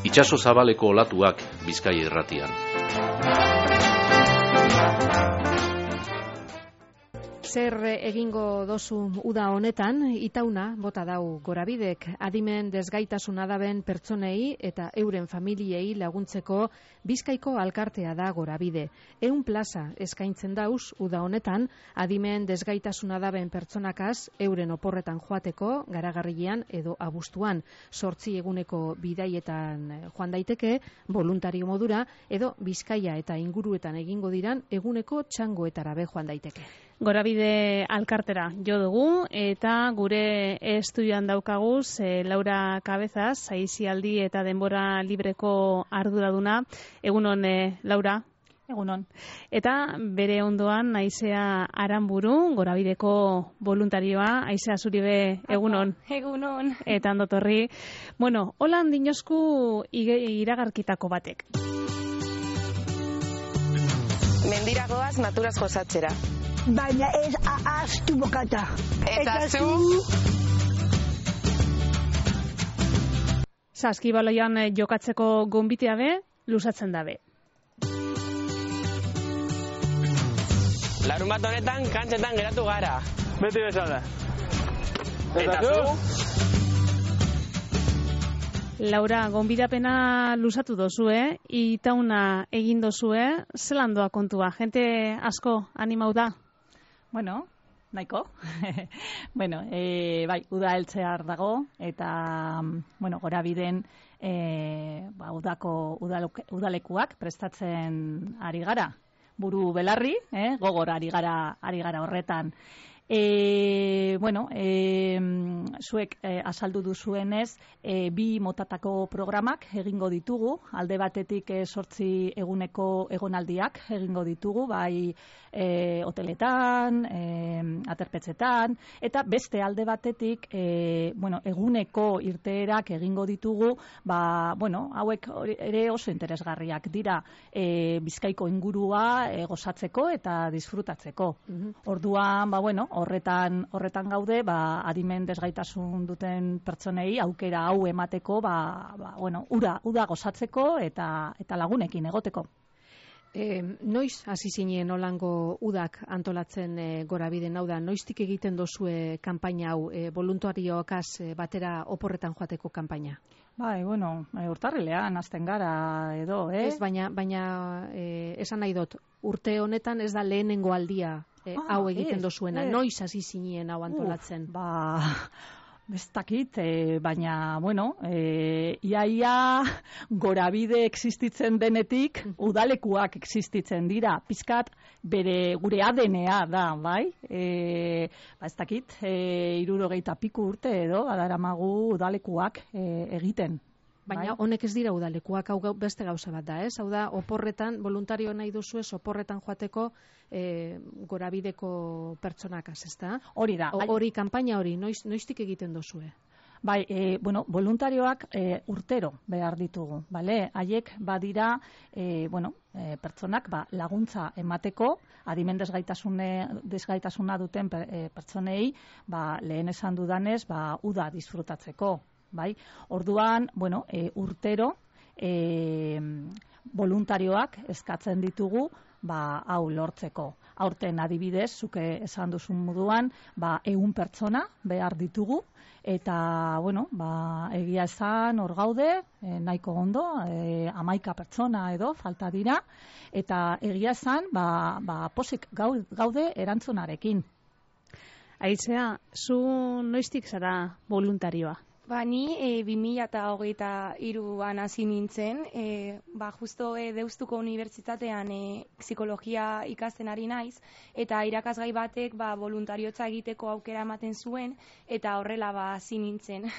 Itsaso zabaleko olatuak Bizkaia irratian. Zer egingo dozu uda honetan, itauna bota dau Gorabidek adimen desgaitasuna daben pertsonei eta euren familiei laguntzeko Bizkaiko alkartea da Gorabide. 100 plaza eskaintzen dauz uda honetan adimen desgaitasuna daben pertsonakaz euren oporretan joateko Garagarrian edo abuztuan 8 eguneko bidaietan joan daiteke voluntario modura edo Bizkaia eta inguruetan egingo diran eguneko txangoetara be joan daiteke. Gorabide alkartera jo dugu eta gure estudioan daukaguz Laura Cabezas, aisialdi eta denbora libreko arduraduna. Egunon, Laura? Egunon. Eta bere ondoan Aizea Aranburu, Gorabideko voluntarioa. Aizea zuri be, egunon? Egunon. Eta ondotorri. Bueno, holan dinosku iragarkitako batek. Mendiragoaz naturaz gozatzera. Baina ez ahaztu bokata. Eta zu? Saskibaloian jokatzeko gonbitea be, lusatzen dabe. Larunbat honetan kantxetan geratu gara. Beti bezala. Eta zu? Laura, gonbidapena lusatu dozue, itauna egin dozue, zelan doa kontua? Jente asko animau da? Bueno, nahiko. Bueno, bai, uda heltzear dago, eta, bueno, Gorabiden udalekuak prestatzen ari gara. Buru belarri, gogor ari gara horretan. Bueno, zuek azaldu duzuenez, 2 motatako programak egingo ditugu, alde batetik 8 eguneko egonaldiak egingo ditugu, bai hoteletan, aterpetxetan, eta beste alde batetik, bueno, eguneko irteerak egingo ditugu, bueno, hauek ere oso interesgarriak dira Bizkaiko ingurua gozatzeko eta disfrutatzeko. Orduan, bueno, horretan gaude, adimen desgaitasun duten pertsonei aukera hau emateko, bueno, uda gozatzeko eta lagunekin egoteko. Noiz hasi zinen holango udak antolatzen Gorabiden, hau da, noiztik egiten dozue kanpaina hau, voluntarioakaz batera oporretan joateko kanpaina? Bai, bueno, urtarrilean hasten gara edo, Ez, baina esan nahi dut, urte honetan ez da lehenengo aldia hau egiten dozuena. Noiz hasi zinen hau antolatzen? Bestakit, baina, bueno, iaia Gorabide existitzen denetik, udalekuak existitzen dira, pizkat bere gure ADN-a da, bai? Ez dakit, 60 piku urte edo, badaramagu udalekuak egiten. Baina honek ez dira udalekuak, hau beste gauza bat da, ez? Hau da, oporretan, voluntario nahi duzu ez, oporretan joateko Gorabideko pertsonakaz, ez da? Hori da. Hori, kanpaina hori, noiztik egiten duzue? Bai, bueno, voluntarioak urtero behar ditugu, bale? Haiek badira, bueno, pertsonak laguntza emateko, adimen desgaitasuna duten pertsonei, lehen esan dudanez, uda disfrutatzeko. Bai? Orduan, bueno, urtero voluntarioak eskatzen ditugu hau lortzeko. Aurten adibidez, zuke esan duzun moduan, 100 pertsona behar ditugu, eta, bueno, egia esan hor gaude, nahiko ondo, 11 pertsona edo falta dira, eta egia esan, posik gaude erantzunarekin. Aizea, zu noiztik zara voluntarioa? Ni 2023an hasi nintzen, justo Deustuko Unibertsitatean psikologia ikasten ari naiz, eta irakasgai batek voluntariotza egiteko aukera ematen zuen, eta horrela hasi nintzen.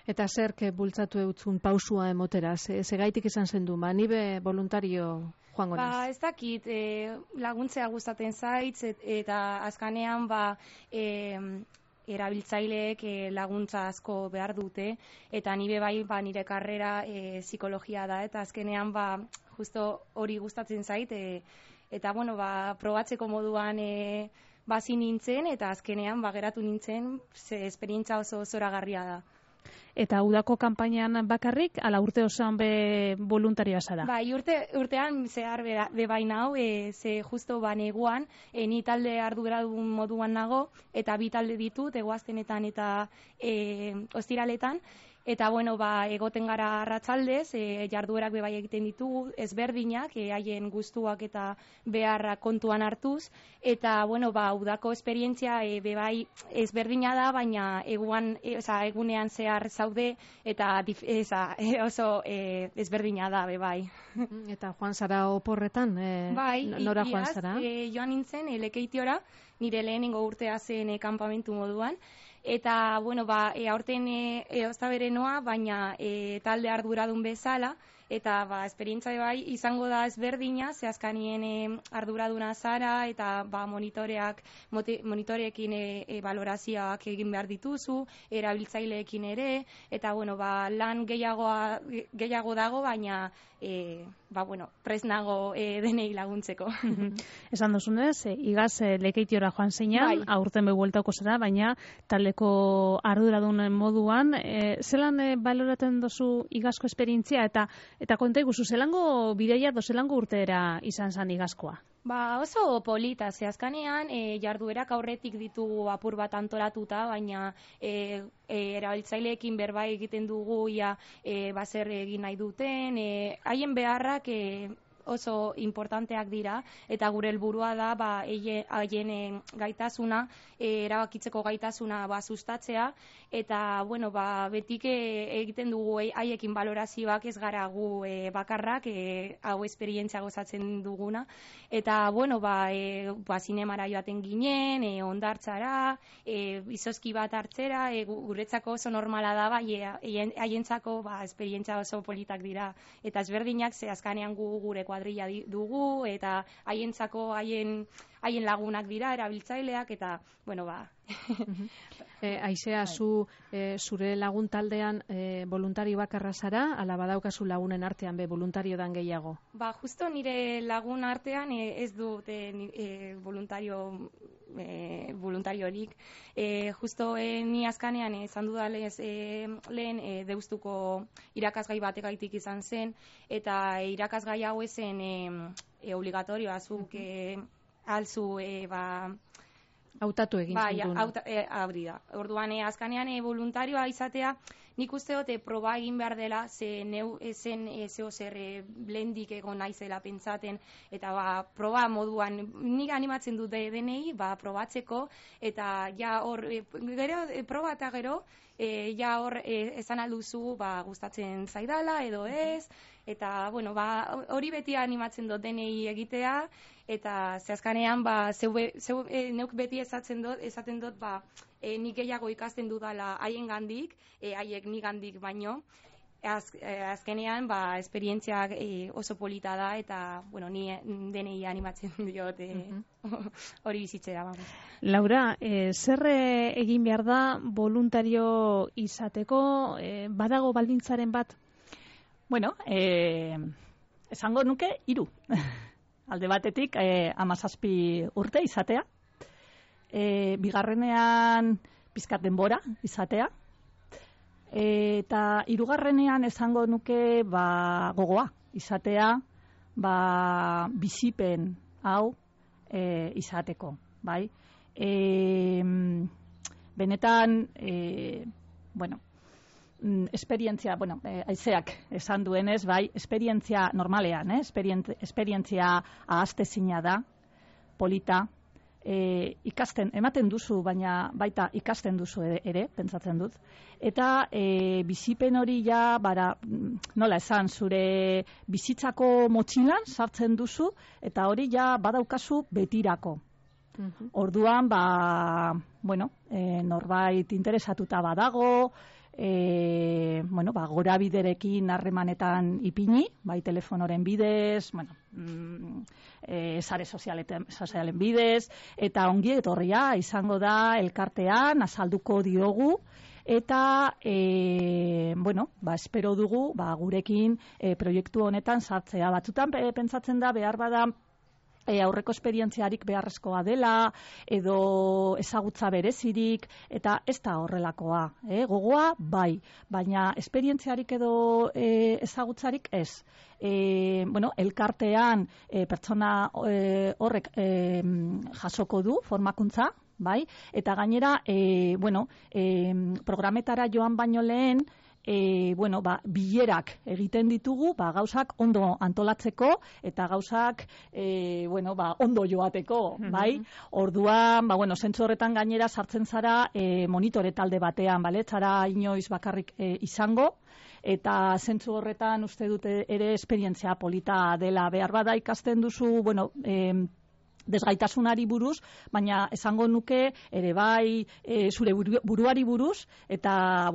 Eta zerk bultzatu eutzun pausua emotera, segaitik izan zen du, nibe voluntario joango naiz? Ez dakit, laguntzea gustatzen zaitz, eta azkanean erabiltzaileek laguntza asko behar dute, eta nire nire karrera psikologia da, eta azkenean justo hori gustatzen zait, eta bueno, probatzeko moduan bazi nintzen, eta azkenean geratu nintzen, ze esperientzia oso zoragarria da. Eta udako kanpainan bakarrik, ala urte osoan be voluntarioa zara? Bai, urtean zehar bebain hau, ze justo neguan, ni talde arduradun moduan nago, eta bi talde ditut, egoaztenetan eta ostiraletan, eta egoten gara arratsaldez, jarduerak bebai egiten ditugu, ezberdinak, haien gustuak eta beharrak kontuan hartuz, eta udako esperientzia bebai ezberdina da, baina egunean zehar zaude, eta oso ezberdina da bebai. Eta joan zara oporretan? Bai, nora joan zara? Joan nintzen Lekeitiora, nire lehenengo urtea zen kanpamentu moduan, eta, aurten oztabere noa, baina talde arduradun bezala, eta esperientzia bai izango da ezberdina, ze azkanien arduraduna zara, eta monitoreekin balorazioak egin behar dituzu, erabiltzaileekin ere, eta lan gehiago dago, baina prest nago denei laguntzeko. Esan duzunez, igaz Lekeitiora joan zeinan, aurten behueltako zara, baina taldeko arduradun moduan, zelan baloratzen duzu igazko esperientzia, eta konta iguzu, zelango bideia zelango urteera izan zan igazkoa? Oso polita, ze azkanean jarduerak aurretik ditugu apur bat antolatuta, baina erabiltzaileekin berba egiten dugu zer egin nahi duten, haien beharrak oso importanteak dira, eta gure helburua da haien gaitasuna, erabakitzeko gaitasuna sustatzea, eta betik egiten dugu haiekin balorazioak, ez gara gu bakarrak, hau esperientzia gozatzen duguna, eta zinemara joaten ginen, hondartzara, izozki bat hartzera, guretzako oso normala da, haientzako esperientzia oso politak dira, eta ezberdinak ze azkanean gure kuadrilla dugu, eta haientzako haien lagunak dira, erabiltzaileak, eta, Aizea, zure lagun taldean voluntario bakarra zara, ala badaukazu lagunen artean be voluntario dan gehiago? Justo nire lagun artean ez dut voluntariorik. Justo ni azkanean esan dudalez lehen deustuko irakasgai batekaitik izan zen, eta irakasgai hau ezen obligatorioa, zuk alzu hautatu egin zuen. Hori da. Orduan, azkanean voluntarioa izatea, nik uste dut proba egin behar dela, ze neu ezen zer blendik egon naizela pentsaten, eta proba moduan, nik animatzen dut denei, probatzeko, eta proba eta gero, hor esan alduzu gustatzen zaidala edo ez, eta hori beti animatzen dut denei egitea, eta zehazkanean neuk beti esaten dut nik gehiago ikasten dudala haien gandik, haiek nik gandik baino, azkenean esperientziak oso polita da, eta ni denei animatzen diot hori bizitzera. Laura, zer egin behar da voluntario izateko, badago baldintzaren bat? Bueno, esango nuke 3. Alde batetik 17 urte izatea, bigarrenean pizkat denbora izatea, eta 3. esango nuke gogoa izatea, bizipen hau izateko, bai? Benetan, esperientzia, aizeak esan duenez, esperientzia normalean, esperientzia ahaztezina da, polita, ematen duzu, baina baita ikasten duzu ere, pentsatzen dut. Eta bizipen hori nola esan, zure bizitzako motxilan sartzen duzu, eta hori badaukazu betirako. Orduan, norbait interesatuta badago, gorabiderekin harremanetan ipini, bai telefonoren bidez, sare sozialen bidez, eta ongi etorria izango da elkartean, azalduko diogu, eta espero dugu gurekin proiektu honetan sartzea. Batzutan pentsatzen da behar bada aurreko esperientziarik beharrezkoa dela, edo ezagutza berezirik, eta ez da horrelakoa. Gogoa, bai, baina esperientziarik edo ezagutzarik ez. Elkartean pertsona horrek jasoko du formakuntza, bai, eta gainera, programetara joan baino lehen, bilerak egiten ditugu, gauzak ondo antolatzeko eta gauzak ondo joateko, bai? Orduan, zentzu horretan gainera sartzen zara monitore talde batean, bale? Zara inoiz bakarrik izango, eta zentzu horretan uste dute ere esperientzia polita dela. Behar bada ikasten duzu, desgaitasunari buruz, baina esango nuke ere bai zure buruari buruz eta,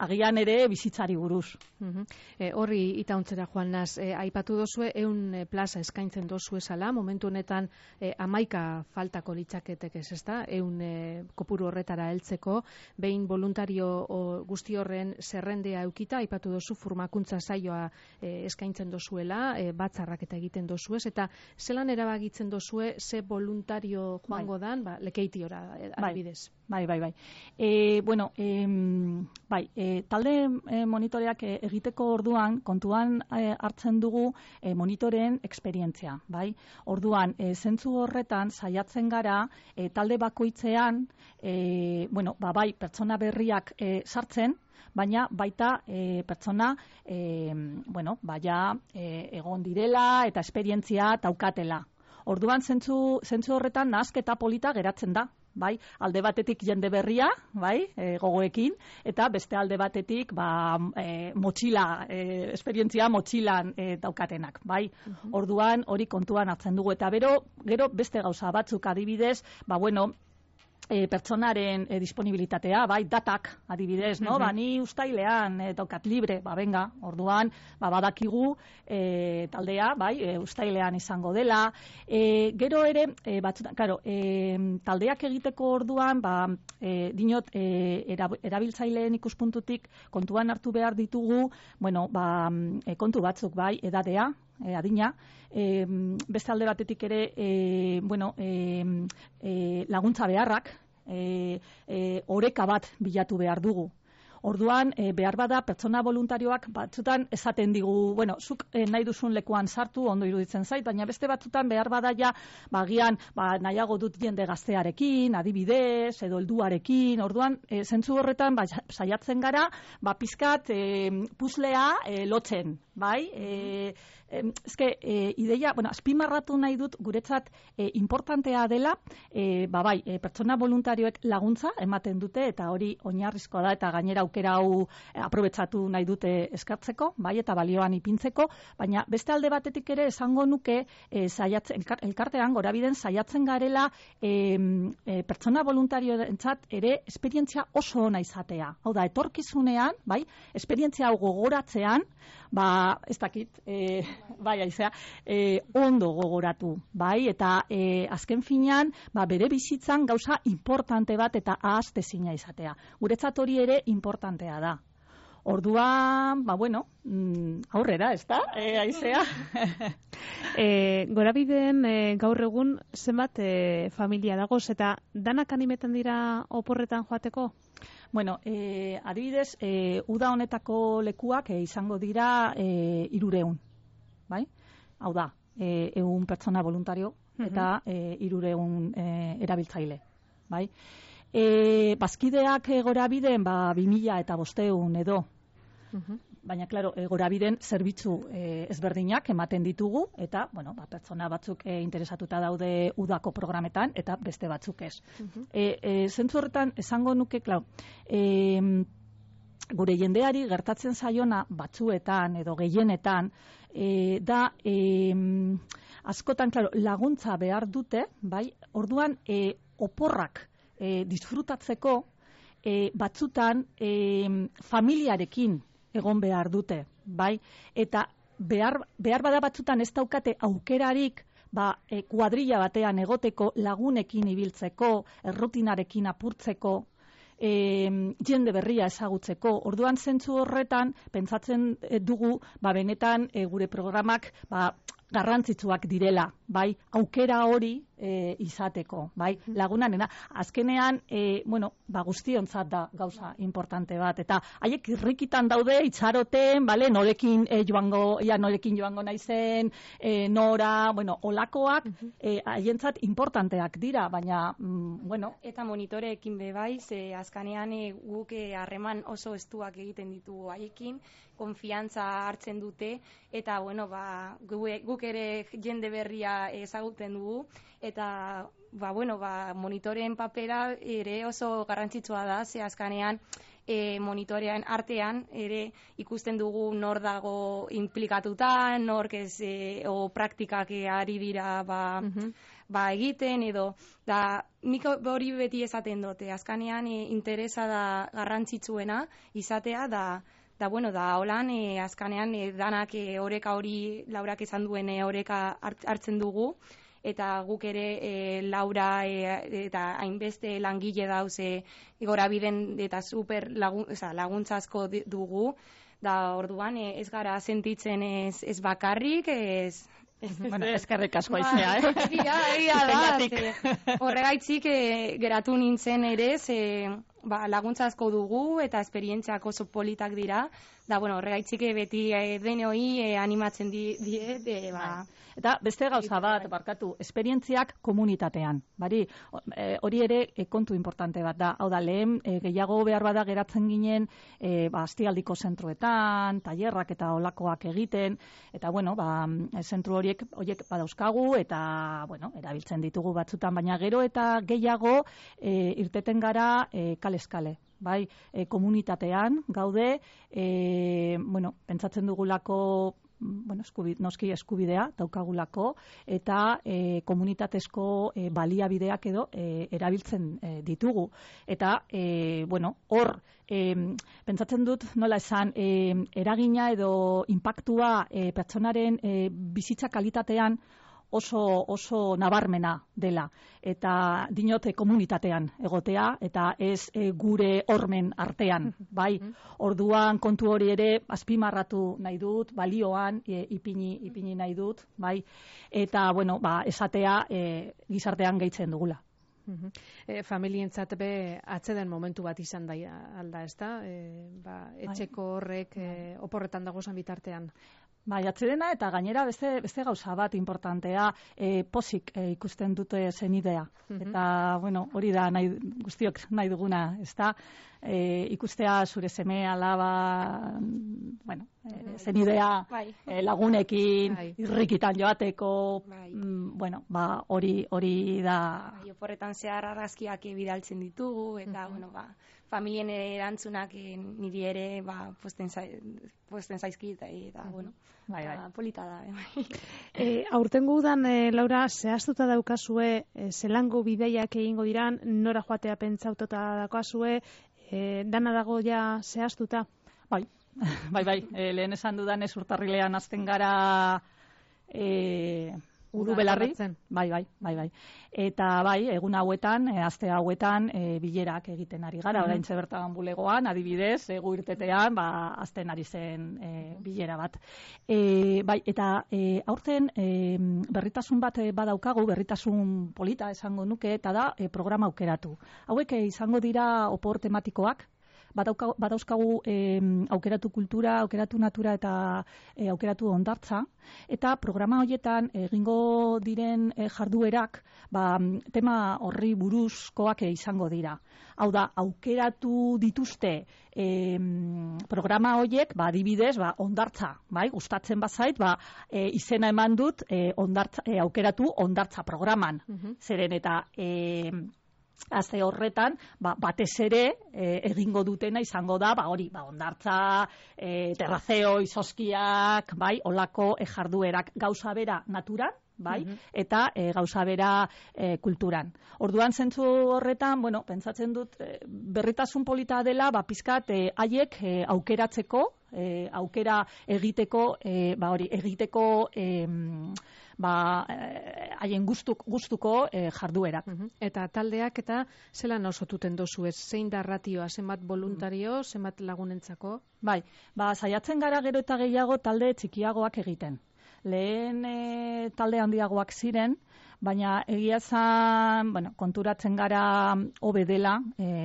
agian ere bizitzari buruz. Horri itauntzera joan naz, aipatu dozue 100 plaza eskaintzen dozu esala, momentu honetan 11 faltako litzaketek ez da, 100 kopuru horretara heltzeko, behin voluntario guzti horren zerrendea eukita, aipatu dozu formakuntza saioa eskaintzen dozuela, batzarrak eta egiten dozuez, eta zelan erabakitzen dozue ze voluntario joango dan, lekeitiora adibidez. Bai. Talde monitoreak egiteko orduan, kontuan hartzen dugu monitoreen esperientzia, bai? Orduan, zentzu horretan saiatzen gara, talde bakoitzean, bai, pertsona berriak sartzen, baina baita pertsona egon direla eta esperientzia daukatela. Orduan, zentzu horretan nahasketa polita geratzen da, bai? Alde batetik jende berria, bai? Gogoekin, eta beste alde batetik motxila, esperientzia motxilan daukatenak, bai? Orduan, hori kontuan hartzen dugu, eta gero beste gauza batzuk adibidez, pertsonaren disponibilitatea, bai, datak adibidez, no? Ni ustailean daukat libre, benga, orduan, badakigu taldea, bai, ustailean izango dela. Gero ere, taldeak egiteko orduan, dinot, erabiltzaileen ikuspuntutik kontuan hartu behar ditugu, kontu batzuk, bai, edadea, adina, beste alde batetik ere laguntza beharrak, oreka bat bilatu behar dugu. Orduan, behar bada pertsona voluntarioak batzutan esaten digu, zuk nahi duzun lekuan sartu, ondo iruditzen zait, baina beste batzutan behar bada agian nahiago dut jende gaztearekin, adibidez, edo helduarekin. Orduan, zentzu horretan saiatzen gara, pizkat puzzlea lotzen, bai? Ideia, azpimarratu nahi dut guretzat importantea dela, pertsona voluntarioek laguntza ematen dute, eta hori oinarrizkoa da, eta gainera aukera hau aprobetsatu nahi dute eskartzeko, bai, eta balioan ipintzeko, baina beste alde batetik ere esango nuke elkartean gorabiden saiatzen garela pertsona voluntarioentzat ere esperientzia oso ona izatea. Hau da, etorkizunean, bai, esperientzia hau gogoratzean, ez dakit, ondo gogoratu, bai, eta azken finean, bere bizitzan gauza importante bat eta ahaztezina izatea. Guretzat hori ere importantea da. Orduan, aurrera, ez da, Aizea? Gorabideen gaur egun zenbat familia dagoz, eta danak animetan dira oporretan joateko? Adibidez, uda honetako lekuak izango dira 300, bai? Hau da, 100 pertsona voluntario eta 300 erabiltzaile, bai? Bazkideak gorabiden 2500 edo. Baina, klaro, gorabiden zerbitzu ezberdinak ematen ditugu, eta, pertsona batzuk interesatuta daude udako programetan, eta beste batzuk ez. Zentzu horretan, esango nuke, klaro, gure jendeari gertatzen zaiona batzuetan, edo gehienetan, da, askotan, klaro, laguntza behar dute, bai, orduan, oporrak disfrutatzeko, batzutan, familiarekin egon behar dute, bai? Eta behar bada batzutan ez daukate aukerarik kuadrilla batean egoteko, lagunekin ibiltzeko, errutinarekin apurtzeko, jende berria ezagutzeko. Orduan zentzu horretan, pentsatzen dugu, benetan gure programak garrantzitsuak direla, bai, aukera hori izateko, bai, lagunarena. Azkenean, guztiontzat da gauza importante bat, eta haiek irrikitan daude, itxaroten, bale, norekin joango naizen, nora, olakoak, haientzat importanteak dira, baina, Eta monitoreekin bai, ze azkanean guk harreman oso estuak egiten ditugu haiekin, konfiantza hartzen dute, eta, guk ere jende berria ezaguten dugu, eta, monitoreen papera ere oso garrantzitsua da, ze azkanean monitorean artean ere ikusten dugu nor dago implikatuta, nork ez, o praktikak ari dira, egiten, edo, nik hori beti esaten dute, azkanean interesa da garrantzitsuena izatea, holan, azkanean danak oreka hori, Laurak esan duen oreka hartzen dugu, eta guk ere Laura eta hainbeste langile dauze Gorabiden eta super laguntza asko dugu, orduan ez gara sentitzen ez bakarrik, eskerrik asko aizea, Egia da, horregaitzik geratu nintzen ere, laguntza asko dugu eta esperientziak oso politak dira, horregaitzik beti denoi animatzen diet, Eta beste gauza bat, esperientziak komunitatean, hori ere kontu importante bat da, hau da, lehen gehiago behar bada geratzen ginen, astialdiko zentroetan, tailerrak eta olakoak egiten, eta zentru horiek badauzkagu, eta, erabiltzen ditugu batzutan, baina gero eta gehiago irteten gara kale-eskale. Komunitatean gaude, pentsatzen dugulako, noski eskubidea daukagulako, eta komunitatezko baliabideak edo erabiltzen ditugu. Eta, hor, pentsatzen dut, nola esan, eragina edo inpaktua pertsonaren bizitza kalitatean oso nabarmena dela, eta dinote komunitatean egotea, eta ez gure hormen artean, Orduan kontu hori ere azpimarratu nahi dut, balioan ipini nahi dut, eta, esatea gizartean gehitzen dugula. Familientzat be atzeden momentu bat izan da alda, ez da? Etxeko horrek oporretan dagozan bitartean. Atzedena, eta gainera beste gauza bat importantea, pozik ikusten dute zenidea. Eta, hori da guztiok nahi duguna, ez da? Ikustea zure seme alaba, zenidea lagunekin, irrikitan joateko, hori da. Oporretan zehar argazkiak bidaltzen ditugu, eta, familien erantzunak niri ere posten zaizkit, eta, polita da. Aurtengo udan, Laura, zehaztuta daukazue, zelango bideiak egingo diran, nora joatea pentsaututa daukazue, dana dago ja zehaztuta? Bai, lehen esan dudanez urtarrilean hasten gara Urubelarri, bai. Eta egun hauetan, aste hauetan, bilerak egiten ari gara, oraintxe bertan bulegoan, adibidez, gu irtetean, azten ari zen bilera bat. Eta aurten berritasun bat badaukagu, berritasun polita esango nuke, eta da programa aukeratu. Hauek izango dira opor tematikoak, badauzkagu aukeratu kultura, aukeratu natura eta aukeratu hondartza, eta programa horietan egingo diren jarduerak tema horri buruzkoak izango dira. Hau da, aukeratu dituzte programa horiek, adibidez, hondartza, gustatzen bazait, izena eman dut aukeratu hondartza programan. Zeren eta aste horretan, batez ere egingo dutena izango da, hondartza, terrazeo, izozkiak, olako jarduerak, gauza bera naturan, eta gauza bera kulturan. Orduan zentzu horretan, pentsatzen dut berritasun polita dela, pizkat haiek aukeratzeko, aukera egiteko, haien gustuko jarduerak. Eta taldeak eta zelan osotuten dozu ez? Zein da ratioa, zenbat voluntario, zenbat lagunentzako? Saiatzen gara gero eta gehiago talde txikiagoak egiten. lehen talde handiagoak ziren, baina egia zan, konturatzen gara hobe dela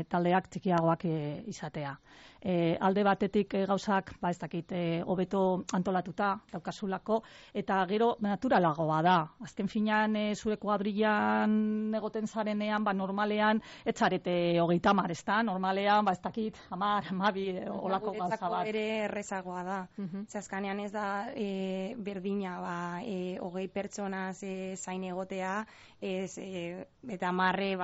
taldeak txikiagoak izatea. Alde batetik gauzak, ez dakit, hobeto antolatuta daukasulako, eta gero naturalagoa da. Azken finean zure kuadrilan egoten zarenean, normalean, etzarete 30, ez da? Normalean, ez dakit, 10, 12, olako gauza bat. Guretzako ere errezagoa da. Azkenean ez da berdina, 20 pertsonaz zain egotea, eta marre,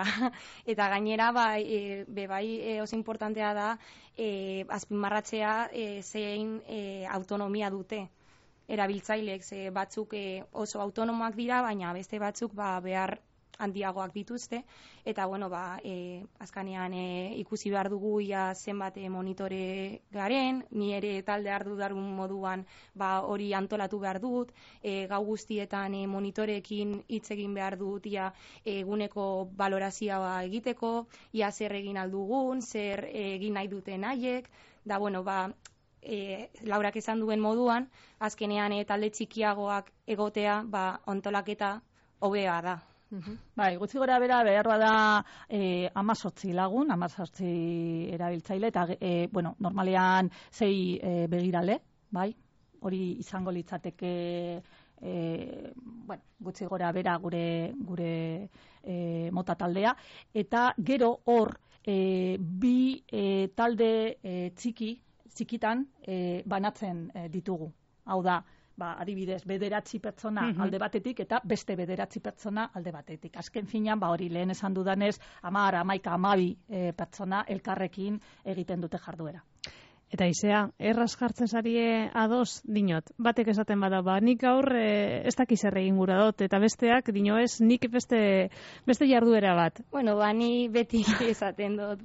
eta gainera, bai, oso importantea da, azpimarratzea zein autonomia dute erabiltzaileek, batzuk oso autonomoak dira, baina beste batzuk behar handiagoak dituzte, eta azkanean ikusi behar dugu zenbat monitore garen, ni ere talde arduradun moduan hori antolatu behar dut, gau guztietan monitoreekin hitz egin behar dut, eguneko balorazioa egiteko, zer egin aldugun, zer egin nahi duten haiek, da Laurak esan duen moduan, azkenean talde txikiagoak egotea, antolaketa hobea da. Gutxi gora bera behar da 18 lagun, 18 erabiltzaile, eta normalean 6 begirale, hori izango litzateke gutxi gora bera gure mota taldea, eta gero hor bi talde txikitan banatzen ditugu. Hau da, adibidez, 9 pertsona alde batetik eta beste 9 pertsona alde batetik. Azken finean, hori lehen esan dudanez, 10, 11, 12 pertsona elkarrekin egiten dute jarduera. Eta Izea, erraz jartzen zarie ados, dinot, batek esaten bada, nik gaur ez dakiz egin gura dut, eta besteak, dino ez, nik beste jarduera bat. Ni beti esaten dut,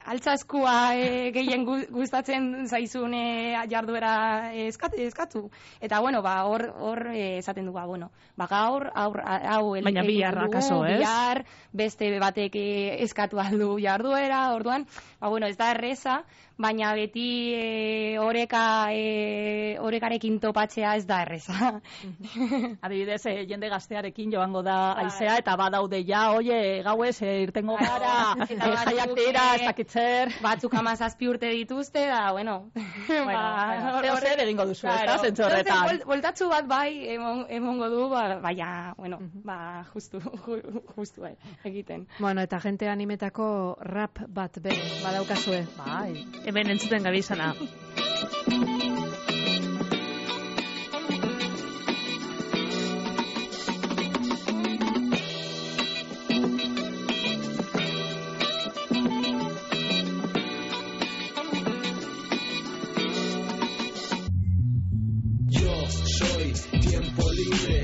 altzaskua gehien gustatzen zaizun jarduera eskatu. Eta, hor esaten dugu, gaur, hau baina bihar, akaso, ez? Bihar, beste batek eskatu aldu jarduera, orduan, ez da erreza, baina beti orekarekin topatzea ez da erreza. Adibidez, jende gaztearekin joango da Aizea, eta badaude gauez, irtengo gara, jaiak dira, ez dakitzer. Batzuk 17 urte dituzte, da, zer egingo duzu, ez da, zentzorretan. Voltatzu bat emongo du, baina, justu egiten. Eta jente animetako rap bat badaukazue. Hemen entzuten gabizana.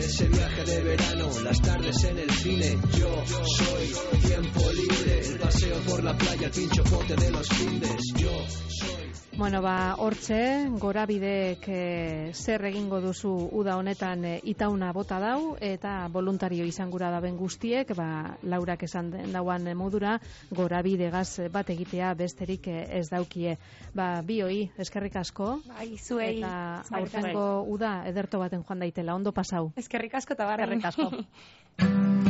Ese viaje de verano, las tardes en el cine. Yo soy tiempo libre, el paseo por la playa, el pincho pote de los findes. Yo soy... Hortxe, Gorabidek zer egingo duzu uda honetan itauna bota dau, eta voluntario izan gura daben guztiek, Laurak esan dauan modura, Gorabidegaz bat egitea besterik ez daukie. Bioi, eskerrik asko. Zuei. Eta aurtengo uda ederto baten joan daitela, ondo pasau. Eskerrik asko eta barren. Eskerrik asko.